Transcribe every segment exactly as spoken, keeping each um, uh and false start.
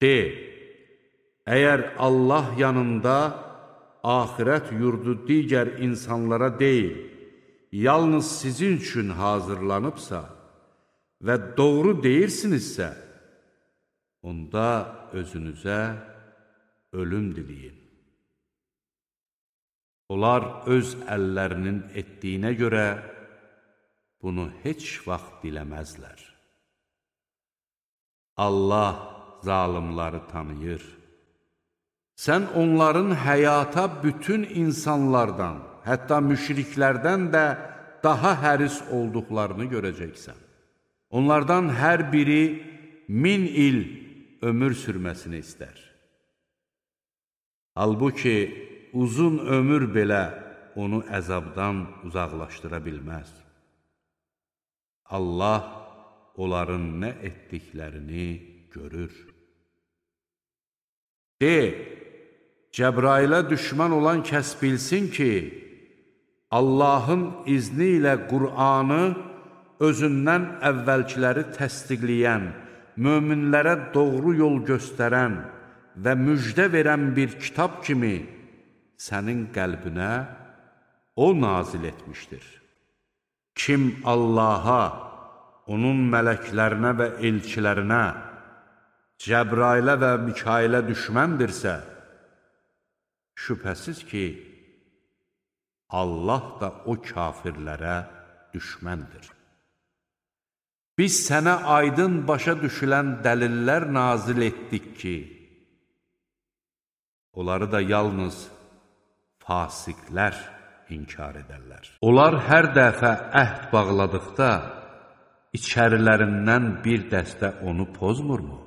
De, əgər Allah yanında axirət yurdu digər insanlara deyil, yalnız sizin üçün hazırlanıbsa və doğru deyirsinizsə, onda özünüzə ölüm diləyin. Onlar öz əllərinin etdiyinə görə bunu heç vaxt diləməzlər. Allah zalimları tanıyır. Sən onların həyata bütün insanlardan, hətta müşriklərdən də daha həris olduqlarını görəcəksən. Onlardan hər biri min il ömür sürməsini istər. Halbuki uzun ömür belə onu əzabdan uzaqlaşdıra bilməz. Allah onların nə etdiklərini görür. De, Cəbrailə düşmən olan kəs bilsin ki, Allahın izni ilə Qur'anı özündən əvvəlkiləri təsdiqləyən, möminlərə doğru yol göstərən və müjdə verən bir kitab kimi sənin qəlbinə o nazil etmişdir. Kim Allaha, onun mələklərinə və elçilərinə, Cəbrailə və Mikailə düşməndirsə, şübhəsiz ki, Allah da o kafirlərə düşməndir. Biz sənə aydın başa düşülən dəlillər nazil etdik ki, onları da yalnız fasiqlər inkar edərlər. Onlar hər dəfə əhd bağladıqda, içərilərindən bir dəstə onu pozmurmu?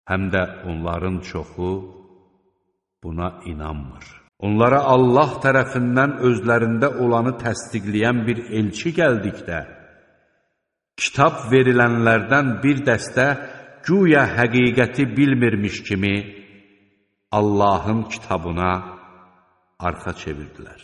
Həm də onların çoxu buna inanmır. Onlara Allah tərəfindən özlərində olanı təsdiqləyən bir elçi gəldikdə, kitab verilənlərdən bir dəstə güya həqiqəti bilmirmiş kimi Allahın kitabına arxa çevirdilər.